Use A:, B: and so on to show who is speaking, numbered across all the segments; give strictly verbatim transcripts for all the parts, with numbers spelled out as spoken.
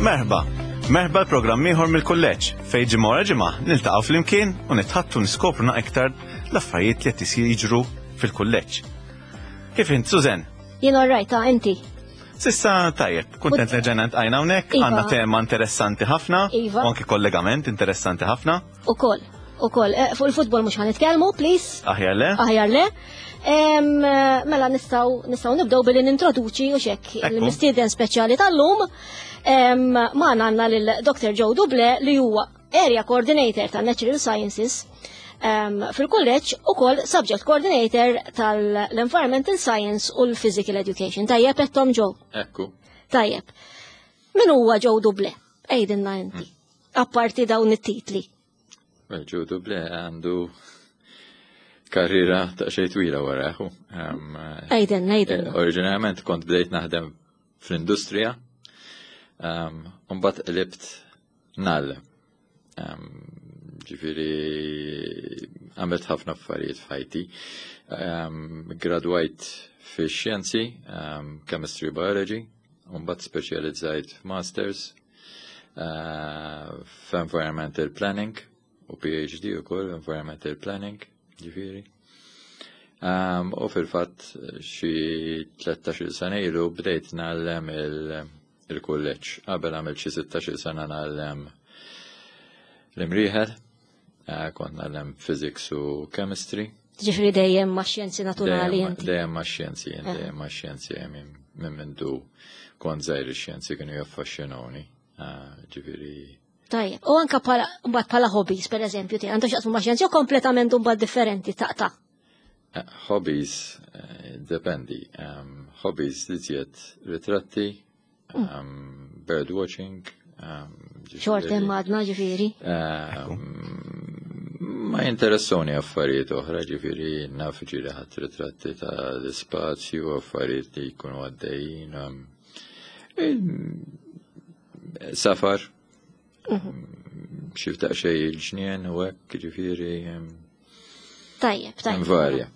A: Merħba! Merħba l-programm ieħor mill-kulleġġ fejn ġimgħa wara ġimgħa niltaqgħu flimkien u nitħaddtu, niskopru iktar l-affarijiet li qed isir jiġru fil-kulleġġ. Kif int, Susan?
B: Jien alright, ta' inti?
A: S'issa tajjeb, kuntent li ġejna ltqajna hawnhekk,
B: Iva.
A: għandna tema interessanti ħafna
B: Iva.
A: u anke kollegament interessanti ħafna.
B: Ukoll, ukoll. Eh, Fuq il-futbol mhux ħa nitkellmu, please.
A: Aħjar le?
B: Aħjar le. Em, eh, Mela nistgħu nistgħu nibdew billi nintroduċi u xek
A: Ekku.
B: il-mistieden speċjali tal-lum. Em, Magħna għandna lil Doctor Joe Duble li huwa Area Coordinator ta' Natural Sciences em, fil-kulleġġ u kol Subject Coordinator tal-Environmental Science u l-Physical Education. Tajjeb ettom, Joe?
C: Ekku.
B: Tajjeb. Min huwa Joe Duble? Għidilna inti. Apparti dawn it-titli.
C: Well, Joe Duble għandu karriera ta' xej twila wara. Um,
B: Għidilna, għidilna.
C: eh, Oriġinarjament kont bdejt naħdem fl-industrija, um, mbagħad qlibt ngħallem. Um, ġifieri għamilt ħafna affarijiet f'ħajti. Um, gradwajt fi xjenzi, um, chemistry, biology, mbagħad speċjalizzajt f'masters uh, f'environmental planning u P H D ukoll environmental planning, ġifieri. Um, u fil-fatt xi tlettax-il sena ilu bdejt ngħallem il- il-kulleġġ. Qabel għamilt xi sittax-il sena ngħallem l-Imrieħel, uh, kont ngħallem physics u chemistry.
B: Ġifieri dejjem ma' xjenzi naturali
C: Dejjem
B: inti.
C: Dejjem ma' xjenzi,
B: Eh.
C: dejjem ma' xjenzi, minn minn mindu kont żgħir ix-xjenzi kienu jaffaxxinawni. Uh, Ġifieri
B: Tajjeb. U anka pala, mbagħad pala hobbies, per eżempju, ti għandu x'jaqsmu ma' xjenzi u kompletament mbagħad differenti taqta'?
C: Uh, hobbies, uh, dependi. Um, hobbies li tjiet ritratti, um, bird watching. Um,
B: Xort
C: ġifieri,
B: hemm għadna ġifieri.
C: um, ma jinteressoni affarijiet oħra, ġifieri naf ġieli ħadt ritratti ta' l-spazju, affarijiet li jkunu għaddejjin. Um, il- safar, xi ftit xej il-ġnien u hekk, ġifieri, um,
B: Tajjeb, tajjeb.
C: Varja.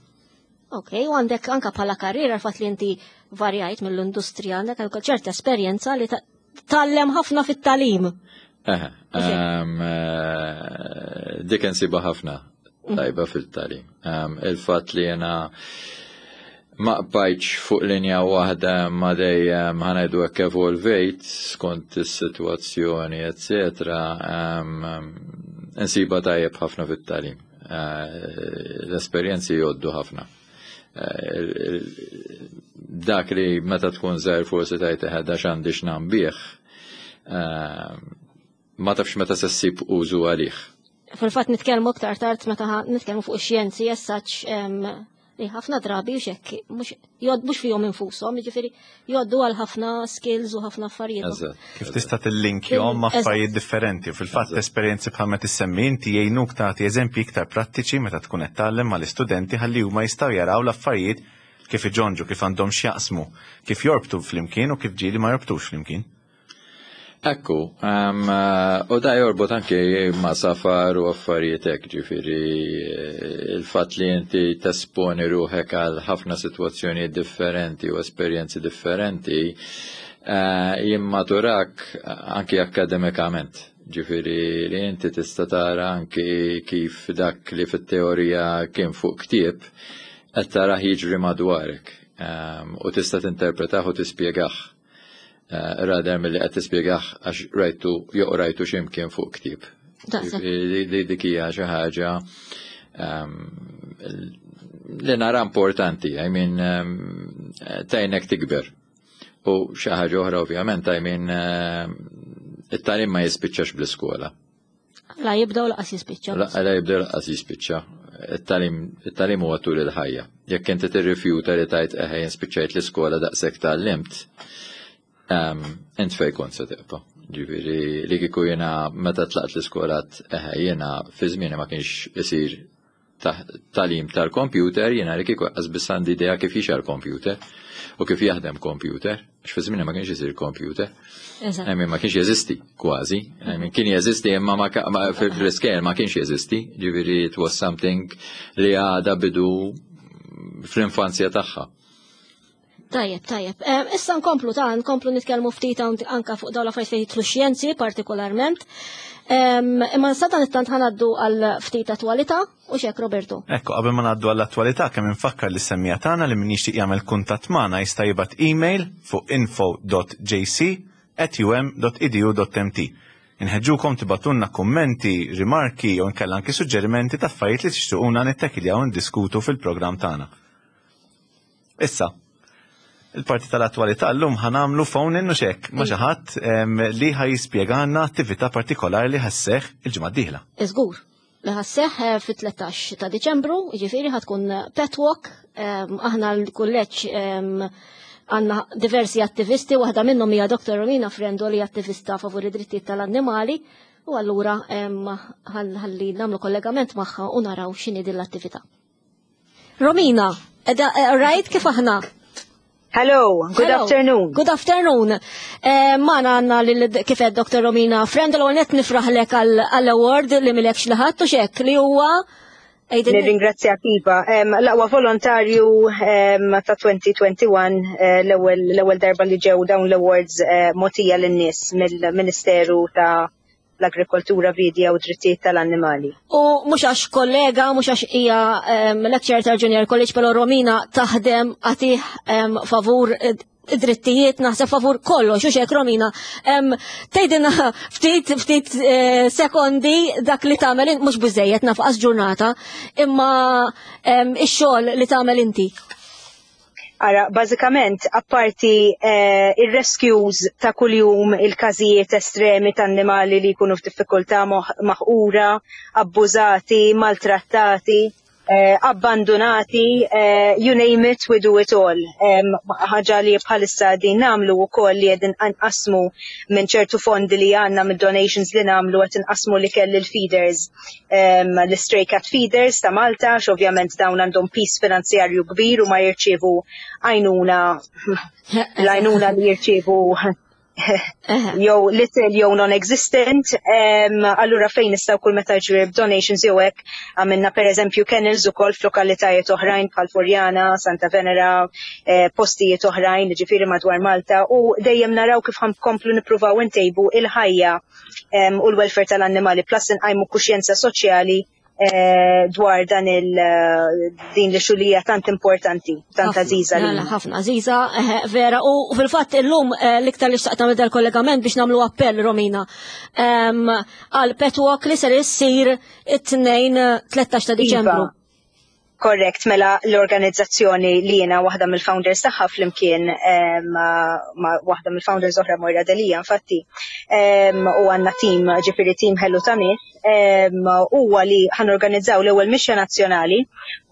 B: Ok, u għandek anka bħala karriera l-fatt li inti varjajt mill-industrija, għandek anka ċerta esperjenza li ta- tgħallem ħafna fit-tagħlim.
C: Aha, um, eh, dik insiba ħafna tajba fil-tagħlim. Um, il-fatt li jena ma bqajtx fuq linja waħda ma dejjem, ħa ngħidu hekk, evolvejt skont is-sitwazzjoni, eccetera, um, insiba tajjeb ħafna fit-tagħlim. Uh, L-esperjenzi jgħoddu ħafna. Eh, dak li meta tkun żgħir forsi tgħid eħe x'għandi x'nambih, eh, ma tafx meta se ssib użu għalih.
B: Fil-fatt nitkellmu aktar tard meta ħa- nitkellmu fuq ix-xjenzi jessaċ li ħafna drabi u xekk mhux jgħod mhux fihom infushom, jiġifieri jgħoddu għal ħafna skills u ħafna affarijiet.
C: Eżatt.
A: Kif tista' tillinkjhom ma'
B: Eżatt.
A: affarijiet differenti. Fil-fatt esperjenzi bħal ma tissemmi inti jgħinuk tagħti eżempji iktar prattiċi meta tkun qed tgħallem mal-istudenti ħalli huma jistgħu jaraw l-affarijiet kif iġonġu, kif għandhom x'jaqsmu, kif jorbtu flimkien u kif ġieli ma jorbtux flimkien.
C: Ekku, um, eh, u da jorbot anke ma' safar u affarijiet hekk, ġifieri eh, il-fatt li inti tesponi ruħek għal ħafna sitwazzjonijiet differenti u esperjenzi differenti eh, jimmaturak anki akademikament. Ġifieri li inti tista' tara anki kif dak li fit-teorija kien fuq ktieb qed tarah jiġri madwarek um, u tista' tinterpretah u tispjegah uh, rather milli qed tispjegah għax rajtu jew rajtu x'imkien fuq ktieb.
B: Daqshekk.
C: Li li dik hija xi ħaġa um, li nara importanti, I mean, um, tgħinek tikber. U xi ħaġa oħra ovvjament, I mean, um, it-tagħlim ma jispiċċax bl-iskola.
B: La jibda u lanqas jispiċċa.
C: La la jibda lanqas jispiċċa. It-tagħlim it-tagħlim huwa tul il-ħajja. Jekk inti tirrifjuta li tgħid eħe jien spiċċajt l-iskola, daqshekk tgħallimt, um, int fej kont se tibqa'? Ġifieri li kieku jiena meta tlaqt l-iskola eħe jiena fi żmieni ma kienx isir tagħlim tal-computer, jiena li kieku qas biss għandi idea kif jixgħel computer u kif jaħdem computer, għax fi żmieni ma kienx isir computer.
B: Eżatt.
C: I mean, ma kienx jeżisti kważi. I mean, kien jeżisti imma ma, ka- ma fil-scale ma kienx jeżisti. Ġifieri it was something li għada bidu fl-infanzja tagħha.
B: Tajjeb, tajjeb. Issa nkomplu ta' nkomplu nitkellmu ftit anka fuq dawn l-affarijiet fejn jidħlu xjenzi partikolarment. Imma sadan it-tant ħa ngħaddu għal ftit attwalità u xek, Roberto.
A: Ekku, qabel ma ngħaddu għall-attwalità, kemm infakkar li semmiegħa tagħna li min jixtieq jagħmel kuntatt magħna jista' jibgħat email fuq info dot J C at U M dot E D U dot M T. Inħeġġukom tibagħtulna kummenti, rimarki jew inkella anki suġġerimenti ta' affarijiet li tixtuquna nittakiljaw u ndiskutu fil-programm tagħna. Issa, il-parti tal-attwalità, llum ħa nagħmlu phone in xek ma' xi ħadd li ħa jispjegana attività partikolari li ħa sseħħ il-ġimgħa d-dieħla.
B: Iżgur, li ħa sseħħ eh, fit-tlettax ta' Diċembru, jiġifieri ħa tkun Pet Walk, aħna l-kulleġġ għandna diversi attivisti, waħda minnhom hija Doktor Romina Frendo li attivista favur id-drittijiet tal-annimali, u allura ħalli nagħmlu kollegament magħha u naraw x'inhi din l-attività. Romina, edha, eh, right, kif aħna?
D: Hello, good
B: Hello.
D: afternoon.
B: Good afternoon. Eh, Magħna għandna lil kif għedt Doktor Romina Frendo, l net nifraħlek għall-award li milekx liħat u xek li huwa
D: Għidin- Nirringrazzjak, Iva. Em, L-aqwa volontarju em, ta' elfejn u wieħed u għoxrin, eh, l-ewwel l-ewwel darba li ġew dawn l-awards eh, mogħtija lin-nies mill-Ministeru ta' l-Agrikoltura, Bidja u Drittijiet tal-Annimali.
B: U mhux għax kollega, mhux għax hija um, lecturer tal-Junior College, pero Romina taħdem għatih um, favur id-drittijiet, naħseb favur kollox, u xek, Romina. Um, Tgħidilna ftit ftit eh, sekondi dak li tagħmel, mhux biżejjed nafqas ġurnata, imma um, ix-xogħol li tagħmel inti.
D: Ara, bażikament, apparti eh, il-rescues ta' kuljum, il-każijiet estremi ta' annimali li jkunu f'diffikultà, moħ- maħqura, abbużati, maltrattati, eh, abbandonati, eh, you name it, we do it all. Em, Ħaġa li bħalissa din nagħmlu wkoll li qegħdin nqasmu minn ċertu fondi li għandna mid donations li nagħmlu, qed inqasmu li kelli l-feeders, um, l-stray cat feeders ta' Malta, x'ovvjament dawn għandhom piż finanzjarju kbir u ma jirċievu għajnuna, l-għajnuna li jirċievu jew little jew non-existent, um, allura fejn nistgħu kull meta ġrib donations jew hekk, għamilna per eżempju kennels ukoll f'lokalitajiet oħrajn bħal Furjana, Santa Venera, eh, postijiet oħrajn, ġifieri madwar Malta, u dejjem naraw kif ħa nkomplu nippruvaw intejbu il-ħajja um, u l-welfare tal-annimali, plus nqajmu kuxjenza soċjali eh, dwar dan il eh, din li xulija tant importanti, tant
B: Ħafna,
D: għażiża
B: la,
D: li
B: la, ħafna għażiża, eh, vera. U fil-fatt illum eh, l-iktar li xtaqt nagħmel dal-kollegament biex nagħmlu appell, Romina, em, għal Pet Walk li ser issir it-tnejn eh, tlettax ta' Diċembru.
D: Iva. Korrekt, mela l-organizzazzjoni li jiena waħda mill-founders tagħha flimkien eh, ma, ma waħda mill-founders oħra, Moira Delia, infatti, em, u għandna team, ġifieri team ħelu ta' nies, em, huwa li ħa norganizzaw l-ewwel mixja nazzjonali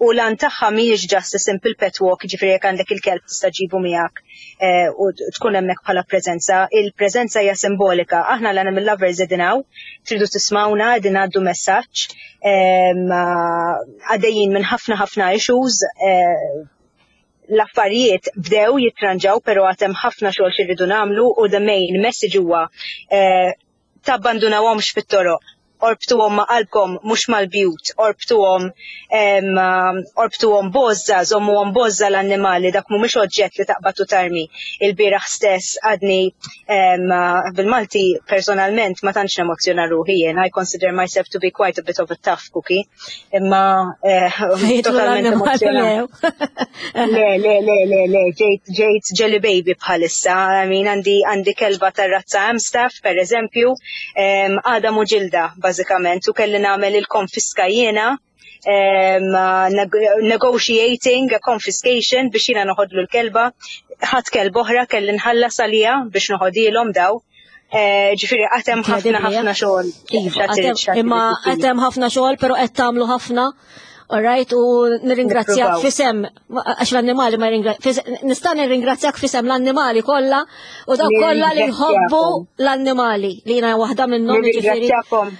D: u l-għan tagħha mhijiex just a simple pet walk, ġifieri jekk għandek il-kelb tista' ġibu miegħek eh, u tkun hemmhekk bħala preżenza. Il-preżenza hija simbolika. Aħna l-animal lovers qegħdin hawn, tridu tismawna, qegħdin ngħaddu messaġġ, em, għaddejjin minn ħafna ħafna issues, eh, l-affarijiet bdew jitranġaw, pero għad hemm ħafna xogħol xi rridu nagħmlu u the main message huwa eh, tabbandunawhomx fit-toroq. Orbtuhom ma' qalbkom, mhux mal-bjut, orbtuhom em, orbtuhom b'għożża, żommuhom b'għożża l-annimali, dak mhumiex oġġett li taqbad u tarmi. Il-bieraħ stess għadni em, bil-Malti personalment ma tantx nemozzjona ruħi jien, I consider myself to be quite a bit of a tough cookie, imma eh,
B: Fejtu
D: totalment
B: l-annimali
D: emozjonat.
B: lew.
D: Le, le, le, le, le, ġejt, ġejt jelly baby bħalissa. I mean, għandi, għandi kelba tar-razza Amstaff, per eżempju, em, għadam u ġilda, bażikament, u kelli nagħmel il-konfiska jiena, em, neg negotiating a confiscation biex jiena noħodlu l-kelba, ħadd kelba oħra kelli nħallas għalija biex noħodilhom daw. Eh, Ġifieri għad hemm ħafna
B: Incredibly,
D: ħafna
B: eh?
D: xogħol.
B: Iva,
D: X'għad irid-
B: għad hemm-
D: x'għad
B: imma
D: irid isir.
B: għad hemm ħafna xogħol, pero qed tagħmlu ħafna. Alright, u nirringrazzjak
D: Nippruvaw.
B: f'isem, għax l-annimali ma ringra- fis- nista' nirringrazzjak f'isem l-annimali kollha u dawk kollha li jħobbu
D: Nirringrazzjakom.
B: l-annimali li jiena waħda minnhom, jiġifieri.
D: Nirringrazzjakom.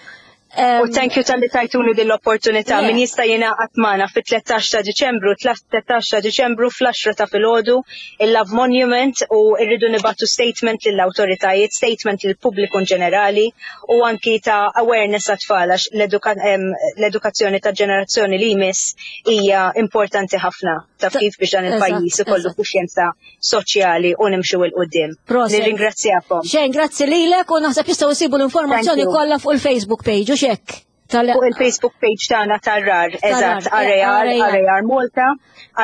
D: U thank you talli tajtuni din l-opportunità. Min jista' jingħaqad magħna fit-tlettax ta' Diċembru, tlettax ta' Diċembru fl-għaxra ta' filgħodu, il-Love Monument, u rridu nibagħtu statement lill-awtoritajiet, statement lill-pubbliku in ġenerali u anki ta' awareness għat-tfal, għax l-edukazzjoni ta' ġenerazzjoni li jmiss hija importanti ħafna, taf kif, biex dan il-pajjiż ikollu kuxjenza soċjali u nimxu 'l quddiem. Nirringrazzjakom.
B: Xejn, grazzi lilek, u naħseb jistgħu jsibu l-informazzjoni kollha fuq il-Facebook page u xek.
D: Fuq il-Facebook page tagħna tar-R A R, eżatt, R A R, R A R Malta,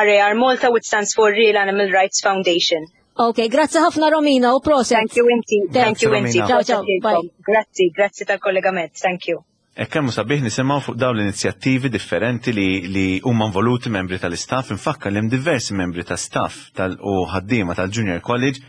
D: R A R Malta, which stands for Real Animal Rights Foundation.
B: Ok, grazzi ħafna, Romina, u proset.
D: Thank you inti, thank you inti.
B: Ciao, ciao, bye.
D: Grazzi, grazzi tal-kollegament, thank you.
A: E kemm sabiħ nisimgħu fuq dawn l-inizjattivi differenti li, li huma involuti membri tal-istaff. Infakkar li hemm diversi membri ta' staff tal u ħaddiema tal-Junior College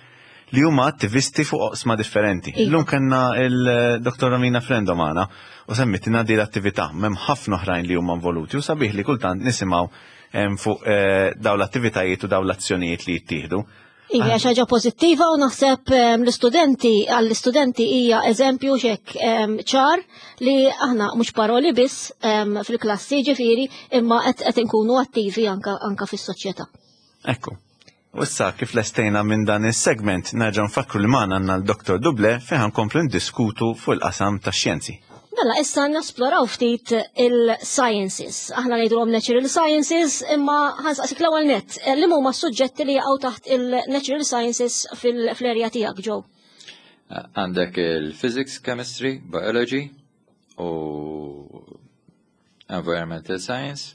A: li huma attivisti fuq oqsma differenti.
B: Iva.
A: Illum kellna il-Dottor Romina Frendo magħna u semmitilna di l-attività, m'hemm ħafna oħrajn li huma involuti u sabiħ li kultant nisimgħu em, fuq eh, dawn l-attivitajiet u dawn l-azzjonijiet li jittieħdu.
B: Iva, xi ħaġa pożittiva u naħseb em, l-istudenti, għall-istudenti hija eżempju xek em, ċar li aħna mhux paroli biss em, fil-klassi ġifieri, imma qed qed inkunu attivi anka, anka fis-soċjetà.
A: Ekku. U issa kif lestejna minn dan is-segment, nerġa' nfakru li magħna għandna l-Dottor Duble fejn nkomplu ndiskutu fuq il-qasam tax-xjenzi.
B: Mela, issa nesploraw ftit il-sciences. Aħna ngħidulhom natural sciences, imma ħa nsaqsik l-ewwel net, eh, li huma suġġetti li jaqgħu taħt il-natural sciences fil-area tiegħek, Joe?
C: Għandek il-physics, chemistry, biology u environmental science.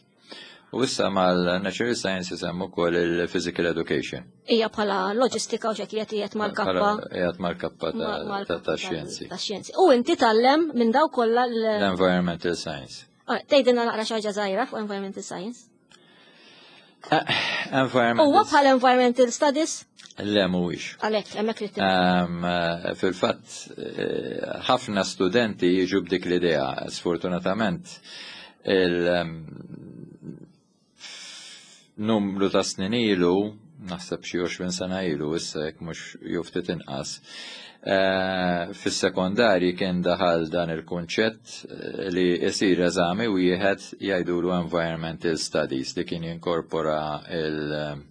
C: U issa mal-natural sciences hemm ukoll il-physical education.
B: Hija bħala loġistika u xek qiegħed mal-kappa.
C: Qiegħed mal-kappa ta' ta' xjenzi.
B: Ta' xjenzi. U inti tgħallem minn daw kollha l-
C: L-environmental science.
B: Ah, tgħidilna naqra xi ħaġa żgħira fuq environmental science.
C: Environmental
B: Huwa bħala environmental studies?
C: Le, mhuwiex.
B: Għalhekk, hemmhekk li
C: Um, eh, Fil-fatt, eh, ħafna studenti jiġu b'dik l-idea, sfortunatament, il- um, numru ta' snin ilu, naħseb xi għoxrin sena ilu, issa jekk mhux jew ftit inqas, eh, fis-sekondarji kien daħal dan il-kunċett eh, li jsir eżami wieħed jgħidulu Environmental Studies li kien jinkorpora il-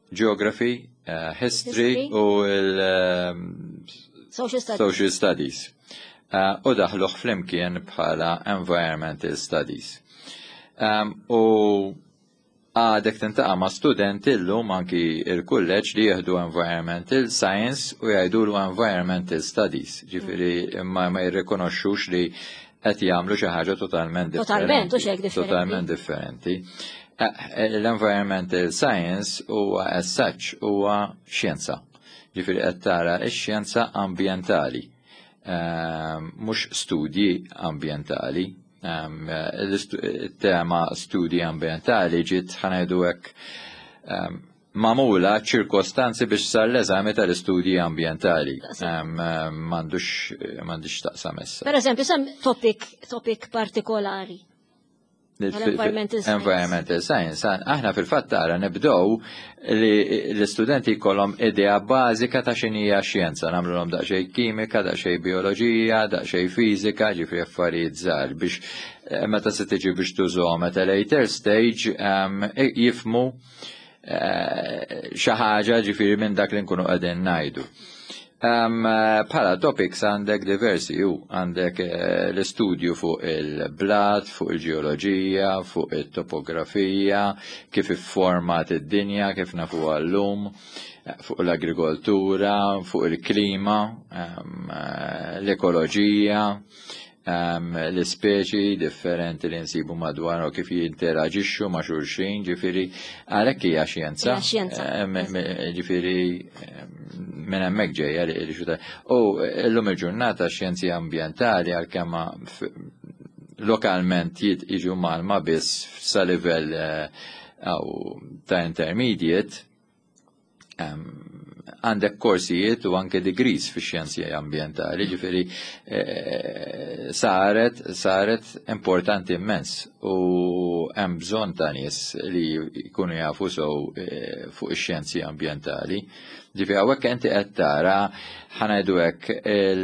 C: Geography, uh, history,
B: History.
C: u il- um,
B: Social studies.
C: Social Studies. Uh, u daħluh flimkien bħala Environmental Studies. Um, u għadek tiltaqa' ma' student illum anki il-kulleġġ li jieħdu Environmental Science u jgħidulu Environmental Studies. Ġifieri ma, ma jirrikonoxxux li qed jagħmlu xi ħaġa totalment differenti.
B: Totalment, u xek differenti.
C: Totalment differenti. Eh, L-environmental science huwa as such huwa xjenza. Ġifieri qed tara x-xjenza ambjentali, Ehm, mhux studji ambjentali. Ehm, Il-tema studji ambjentali ġiet, ħa ngħidu hekk, ehm, magħmula ċirkostanzi biex sar l-eżami tal-istudji ambjentali. M'għandux m'għandix taqsam issa.
B: Per eżempju, sem topic, topic partikolari. Tal-environmental science.
C: Environmental science. Aħna fil-fatt tara nibdow li l-istudenti jkollhom idea bażika ta' x'inhija xjenza, nagħmluhom daqsxejn kimika, daqsxejn bioloġija, daqsxejn fiżika, ġifieri affarijiet żgħar biex eh, meta se tiġi biex tużhom at a later stage um, jifhmu eh, xi ħaġa ġifieri minn dak li nkunu qegħdin ngħidu. Um, bħala topics għandek diversi, ju għandek eh, l-istudju fuq il-blat, fuq il-ġeoloġija, fuq il-topografija, kif ifformat id-dinja, kif nafu għal-lum, fuq l-agrikoltura, fuq il-klima, um, eh, l-ekoloġija, um, l-ispeċi differenti li nsibu madwar u kif jinteraġixxu ma' xulxin, ġifieri għalhekk hija xjenza.
B: Hija xjenza.
C: Eh, me- me- Ġifieri minn hemmhekk ġejja li li xuta. U llum il-ġurnata xjenzi ambjentali, għalkemm f- lokalment jid- jiġu mgħallma biss sa livell eh, aw ta' intermediate, em, għandek korsijiet u anke degrees fi xjenzi ambjentali, ġifieri eh, saret, saret importanti immens u hemm bżonn ta' nies li jkunu jafu sew eh, fuq ix-xjenzi ambjentali. Ġifieri hawnhekk inti qed tara, ħa ngħidu hekk, il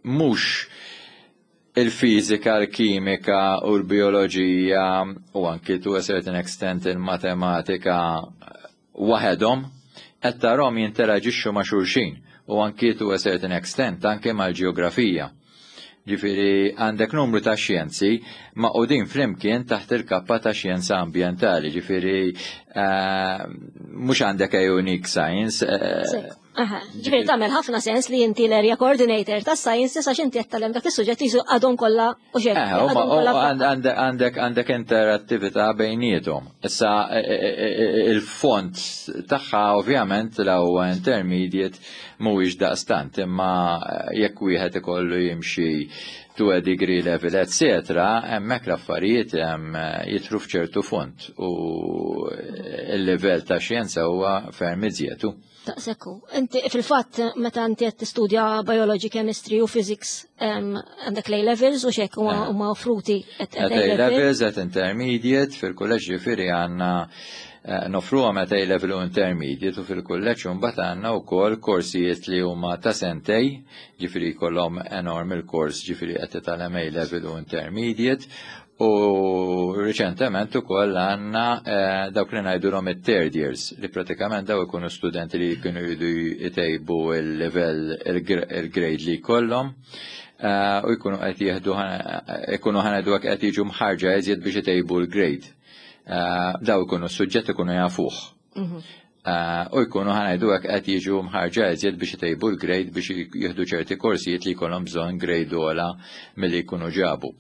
C: Mhux il-fizika, il-kimika u l-bioloġija u anki to a certain extent il-matematika waħedhom, qed tarahom jinteraġixxu ma' xulxin u anki to a certain extent anke mal-ġeografija. Ġifieri għandek numru ta' xjenzi magħqudin flimkien taħt il-kappa ta' xjenza ambjentali, ġifieri eh, mhux għandek a unique science. Eh,
B: Ġifieri tagħmel ħafna sens li inti l-area coordinator ta' sciences għax inti qed tgħallem dak is-suġġett jisu għadhom kollha u xejn.
C: Eh, għandek għandek interattività bejniethom. Issa il-font tagħha ovvjament la huwa intermediate mhuwiex daqstant, imma jekk wieħed ikollu jimxi to a degree level, et cetera, hemmhekk l-affarijiet jidħlu f'ċertu font u il-level ta' xjenza huwa ferm iżjetu.
B: Taqsekku. Inti fil-fatt meta inti qed tistudja biology, chemistry u physics, għandek A levels u xek huma offruti.
C: At A levels, at intermediate, fil-kulleġġ ġifieri għandna eh, noffru at A level u intermediate u fil-kulleġġ mbagħad għandna wkoll korsijiet li huma ta' sentejn, ġifieri jkollhom enorm il-kors, ġifieri qed titgħallem A level u intermediate, u riċentement ukoll għandna eh, dawk li ngħidulhom it-third years, li pratikament daw ikunu studenti li jkunu jridu jtejbu il-level, il-grade li jkollhom eh, u jkunu qed jieħdu, jkunu ħa ngħidu qed jiġu mħarġa eżjed biex itejbu l-grade. Eh, daw ikunu suġġett ikunu jafuh. Mhm. U jkunu ħa ngħidu qed jiġu mħarġa eżjed biex itejbu l-grade, biex jieħdu ċerti korsijiet li jkollhom bżonn grade ogħla milli jkunu ġabu.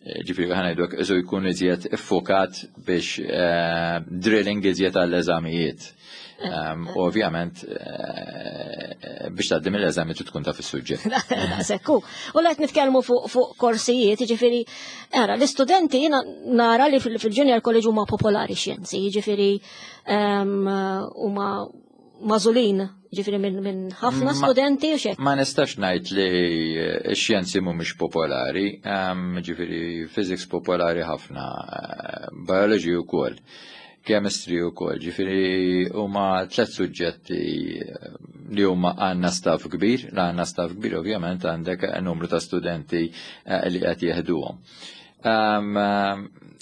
C: Ġifieri ħa ngħidu iżu jkun iżjed iffokat biex eh, drilling iżjed għall-eżamijiet. U ovvjament eh, biex tgħaddi mill-eżami trid tkun taf is-suġġett.
B: Sekku. U qed nitkellmu fuq korsijiet, ġifieri, ara, l-istudenti jiena nara li fil-junior college huma popolari xjenzi, ġifieri huma magħżulin, ġifieri minn ħafna studenti u xek.
C: Ma nistax ngħid li x-xjenzi mhumiex popolari, ġifieri physics popolari ħafna, biology wkoll, chemistry wkoll, ġifieri huma tliet suġġetti li huma għandna staff kbir, la għandna staff kbir ovvjament għandek numru ta' studenti eh, li qed jeħduhom.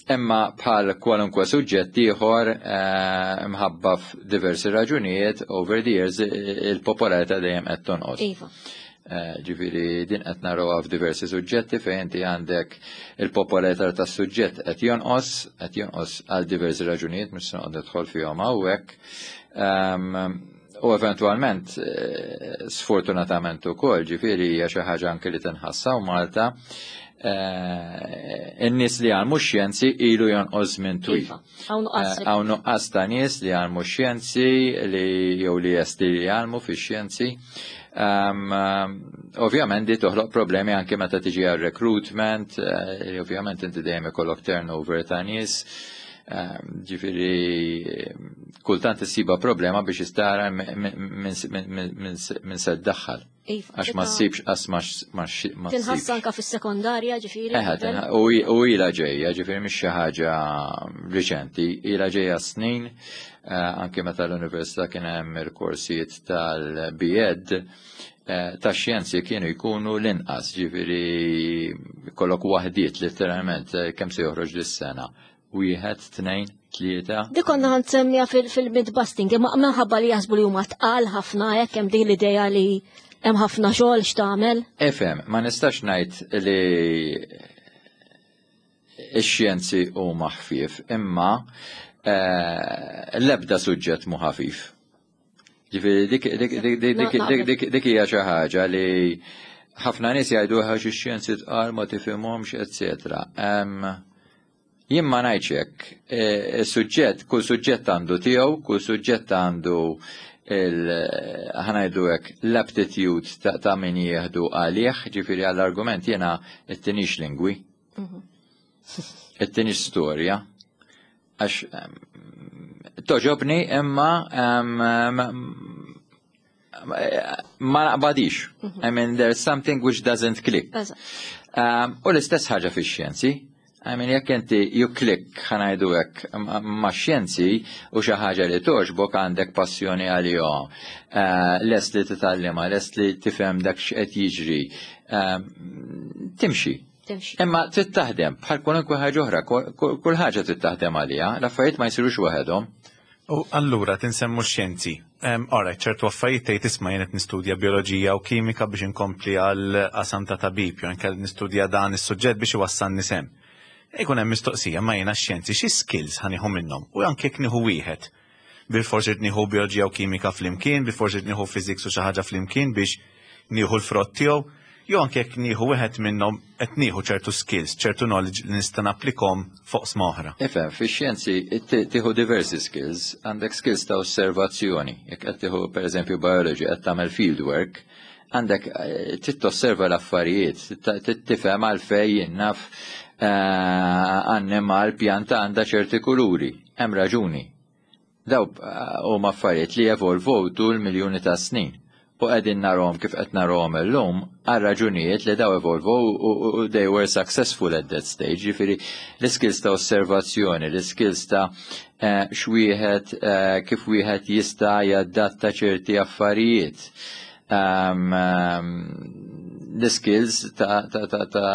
C: Imma bħal kwalunkwe suġġett ieħor, eh, mħabba f'diversi raġunijiet over the years il-popolarità dejjem qed tonqos.
B: Iva.
C: Eh, ġifieri din qed narawha f'diversi suġġetti fejn inti għandek il-popolarità tas-suġġett qed jonqos, qed jonqos għal diversi raġunijiet, mhux se noqgħod nidħol fihom hawnhekk. U eventualment, eh, sfortunatament ukoll, ġifieri hija xi ħaġa anke li tinħassa Malta, eh, in-nies li għallmu xjenzi ilu jonqos minn twil.
B: Iva, hawn nuqqas.
C: Hawn nuqqas ta' nies li għallmu xjenzi li jew li jesti li jgħallmu fi xjenzi. Um, ovvjament di toħloq problemi anke meta tiġi għal recruitment, uh, ovvjament inti dejjem ikollok turnover ta' nies. Um, ġifieri kultant issiba problema biex istara minn se ddaħħal.
B: Iva,
C: Għax ma ssibx, għax ma ma ma
B: Tinħass
C: ssibx.
B: anka fis-sekondarja, ġifieri.
C: Eħe, tinħ- u u ila ġejja, ġifieri mhix xi ħaġa riċenti, ila ġejja snin, eh, anke meta l-università kien hemm il-korsijiet tal-B Ed, eh, ta' xjenzi kienu jkunu l-inqas, ġifieri kollok waħdiet letteralment, eh, kemm se joħroġ lis-sena. Wieħed, tnejn, tlieta.
B: Dik konna ħa nsemmija fil-myth-busting, imma minħabba li jaħsbu li huma tqal ħafna, hekk hemm din l-idea li hemm ħafna xogħol x'tagħmel.
C: Ifhem, ma nistax ngħid li ix-xjenzi huma ħfief, imma eh, l-ebda suġġett mu ħafif. Ġifieri dik dik dik dik dik dik dik dik hija xi ħaġa li ħafna nies jgħidu għax ix-xjenzi tqal, ma tifhimhomx, eċetera. Em, Jien ma ngħidx hekk. Eh, Is-suġġett, kull suġġett għandu tiegħu, kull suġġett għandu il ħa ngħidu hekk l-aptitude ta', ta' min jieħdu għalih, ġifieri għall-argument jiena ittinix lingwi, ittinix storja, għax em, togħġobni imma em, ma- ma naqbadix. I mean, there's something which doesn't click.
B: Eżatt.
C: Um, u l-istess ħaġa fix-xjenzi. I mean, jekk inti you click, ħa ngħidu hekk, ma' xjenzi u xi ħaġa li togħġbok, għandek passjoni għalihom, eh, lest li titgħallimha, lest li tifhem dak x'qed jiġri, eh, timxi.
B: Timxi.
C: Imma trid taħdem bħal kwalunkwe ħaġa oħra, kull ħaġa trid taħdem għaliha, l-affarijiet ma jsirux waħedhom.
A: U allura tinsemmu xjenzi. Alright, ċertu affarijiet tgħid, "Isma', jien qed nistudja bioloġija u kimika biex inkompli għal qasam ta' tabib, jew inkella nistudja dan is-suġġett biex iwassalni s'hemm." Ikun hemm mistoqsija, ma jiena xjenzi xi skills ħa nieħu minnhom? U anke jekk nieħu wieħed. Bilfors irid nieħu bioloġija u kimika flimkien, bilfors irid nieħu physics u xi ħaġa flimkien biex nieħu l-frott tiegħu, jew anke jekk nieħu wieħed minnhom qed nieħu ċertu skills, ċertu knowledge li nista' napplikhom fuq oqsma oħra?
C: Ifhem, fi xjenzi tieħu diversi skills, għandek skills ta' osservazzjoni. Jekk qed tieħu, pereżempju, biology, qed tagħmel field work, għandek eh, trid tosserva l-affarijiet, trid tifhem għalfejn, jien naf, eh, annimal, pjanta għandha ċerti kuluri. Hemm raġuni. Daw eh, huma affarijiet li evolvow tul miljuni ta' snin. U qegħdin narahom kif qed narahom illum għal raġunijiet li daw evolvow u they were successful at that stage. Ġifieri l-skills ta' osservazzjoni, l-skills ta' eh, x'wieħed eh, kif wieħed jista' jadatta ċerti affarijiet. Um, um, l-skills ta', ta, ta, ta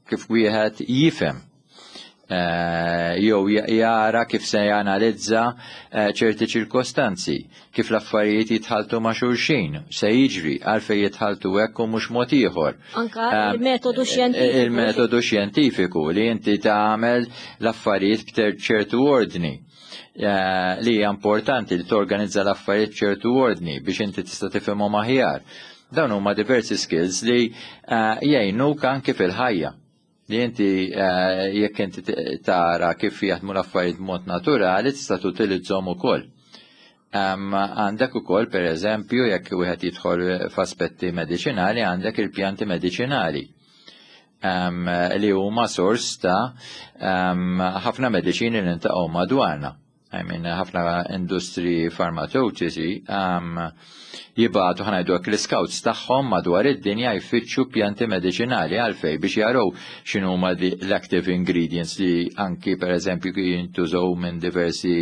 C: kif wieħed jifhem eh, jew jara kif se janalizza eh, ċerti ċirkostanzi, kif l-affarijiet jitħaltu ma' xulxin, se jiġri, għalfejn jitħaltu hekk u mhux mod ieħor.
B: Anka il-metodu xjentifiku.
C: Il-metodu xjentifiku li inti tagħmel l-affarijiet b'ċertu ordni. Eh, li hija importanti li torganizza l-affarijiet b'ċertu ordni biex inti tista' tifhimhom aħjar. Dawn huma diversi skills li eh, jgħinuk anke fil-ħajja. Li inti eh, jekk inti tara kif jaħdmu l-affarijiet b'mod naturali, tista' tutilizzhom ukoll. Għandek ukoll, per eżempju, jekk wieħed jidħol f'aspetti mediċinali, għandek il-pjanti mediċinali um, li huma sors ta' ħafna mediċini li niltaqgħu madwarna. I mean, ħafna industri farmaceutiċi um, jibagħtu, ħa ngħidu, l-scouts tagħhom madwar id-dinja jfittxu pjanti mediċinali. Għalfejn? Biex jaraw x'inhuma l-active ingredients li anki, per eżempju, jintużaw minn diversi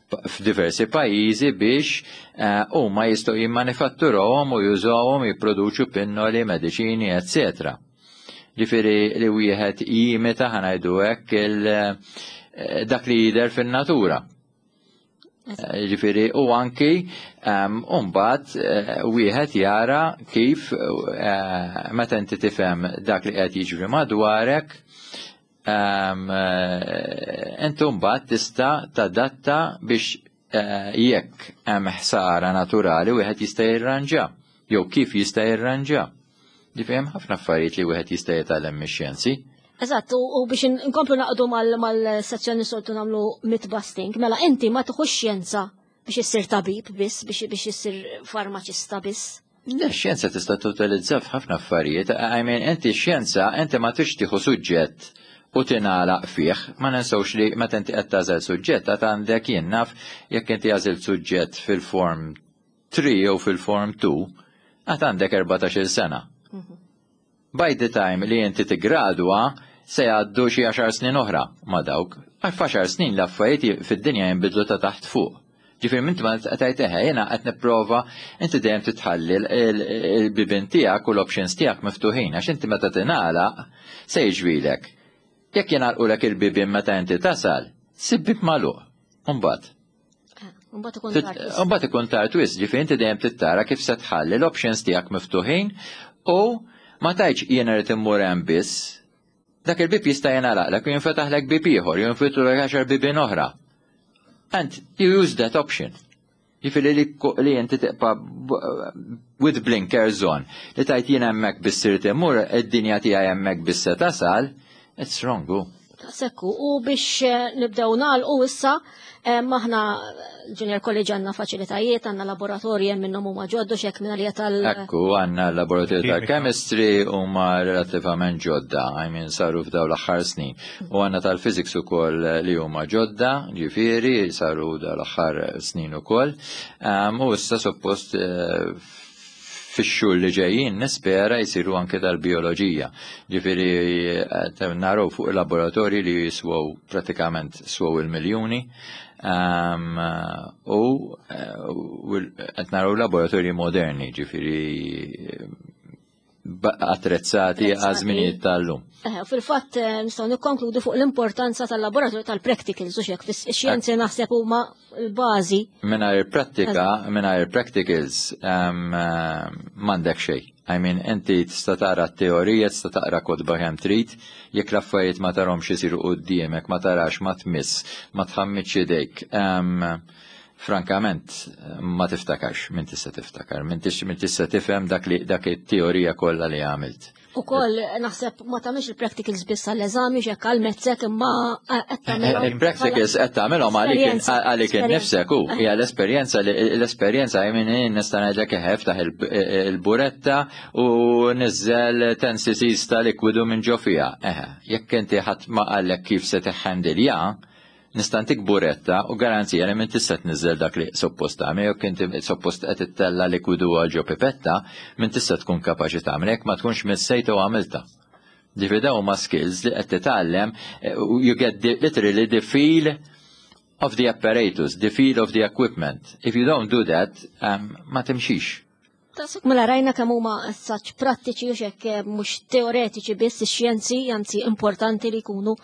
C: f'diversi pajjiżi biex eh, huma uh, jistgħu jimmanifatturawhom u jużawhom jipproduċu pinnoli, mediċini, eccetera. Ġifieri li wieħed jimita, ħa ngħidu hekk, eh, dak li jidher fin-natura. Eh, ġifieri, u anki mbagħad wieħed jara kif, meta inti tifhem dak li qed jiġri madwarek, inti mbagħad tista' tadatta biex eh, jekk hemm ħsara naturali wieħed jista' jirranġa jew kif jista' jirranġa. Ġifieri hemm ħafna affarijiet li wieħed jista' jitgħallem mix-xjenzi.
B: Eżatt, u biex nkomplu naqdu mal-sezzjoni soltu nagħmlu myth busting, mela inti ma tieħux xjenza biex issir tabib biss, biex biex issir farmaċista biss.
C: Le, xjenza tista' tutilizza f'ħafna affarijiet. I mean, inti xjenza, inti ma tix tieħu suġġett u tingħalaq fih. Ma ninsewx li meta inti qed tagħżel suġġett, għad għandek, jien naf, jekk inti għażilt suġġett fil-form three jew fil-form two, għad għandek erbatax-il sena. By the time li inti tigradwa, se jgħaddu xi għaxar snin oħra ma dawk. Għal għaxar snin l-affarijiet fid-dinja jinbidlu ta' taħt fuq. Ġifieri minn ma tgħid, "Eħe, jiena qed nipprova", inti dejjem titħalli il-bibien tiegħek u l-options tiegħek miftuħin, għax inti meta tingħalaq se jiġrilek. Jekk jingħalqulek il-bibien meta inti tasal, ssib bieb magħluq. Umbagħad. Umbagħad ikun tard wisq, ġifieri inti dejjem tittara kif se tħalli l-options tiegħek miftuħin u ma tgħidx, "Jiena rrid immur hemm biss." Dak il-bib jista' jingħalaqlek u jinfetaħlek bib ieħor, jinfetħulek għaxar bibien oħra. And you use that option. Ġifieri li, li inti tibqa' with blinkers on. Li tgħid, "Jien hemmhekk biss irrid immur, id-dinja tiegħi hemmhekk biss se tasal", it's wrong.
B: Sekku, u biex eh, nibdew nagħlqu issa, eh, maħna Junior College għandna faċilitajiet, għandna laboratorji minnhom huma ġoddu xek minn għalija tal.
C: Ekku, għandna laboratorju tal-chemistry, huma relattivament ġodda, I mean, saru f'daw l-aħħar snin. U għandna tal-physics ukoll li huma ġodda, ġifieri, saru daw l-aħħar snin ukoll. Um, u issa suppost eh, Fix-xhur li ġejjin nispera jsiru anke tal-bioloġija. Ġifieri eh, naraw fuq il-laboratorji li jiswew pratikament swew il-miljuni. Um, u qed naraw laboratorji moderni, ġifieri attrezzati għaż-żminijiet tal-lum.
B: Eh, fil-fatt eh, nistgħu nikkonkludu fuq l-importanza tal-laboratorju tal-practicals u xek fix-xjenzi naħseb huma l-bażi.
C: Mingħajr prattika, mingħajr practicals m'għandek xejn. I mean, inti tista' tara t-teorija, tista' taqra kotba kemm trid, jekk l-affarijiet ma tarahomx isiru quddiemek, ma tarax, ma tmiss, ma tħammitx idejk. Frankament, ma tiftakarx, min tista' tiftakar, min tista' tifhem dak li dak it-teorija kollha li għamilt.
B: U koll naħseb ma tagħmilx il-practicals biss għall-eżami xek għal-mezzek imma qed tagħmelhom.
C: Il-practicals qed tagħmelhom għalik għalik innifsek u hija l-esperjenza l-esperjenza jien nista' ngħidlek iftaħ il-buretta u niżel ten C Cs ta' likwidu minn ġo fiha. Eħe, jekk inti ħadd ma qallek kif se tiħħendilja, nista' ntik buretta u garanzija li minn tista' tniżel dak li suppost tagħmel, jekk inti suppost qed ittella likwidu għal ġo pipetta, minn tista' tkun kapaċi tagħmel jekk ma tkunx missejta u għamilta. Ġifieri dawn huma skills li qed titgħallem, you get the, literally the feel of the apparatus, the feel of the equipment. If you don't do that, um, ma timxix.
B: Tasuk mela rajna kemm huma saċ prattiċi u xek mhux teoretiċi biss ix-xjenzi, anzi importanti li jkunu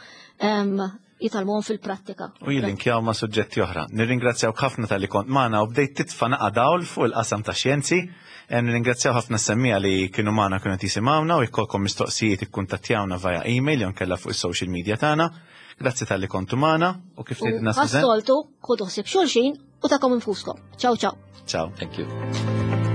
B: jitgħallmuhom fil-prattika.
A: U jillinkjaw ma' suġġetti oħra. Nirringrazzjaw ħafna talli kont magħna u bdejt titfa' naqa dawl fuq il-qasam ta' xjenzi. Nirringrazzjaw ħafna semmiegħa li kienu magħna, kienu jisimgħuna, u jkollkom mistoqsijiet ikkuntattjawna via email jew kella fuq is-social media tagħna. Grazzi talli kontu magħna u kif tgħidilna Susan.
B: Bħas-soltu, ħudu ħsieb xulxin u tagħkom infuskom. Ciao ciao.
A: Ciao.
C: Thank you.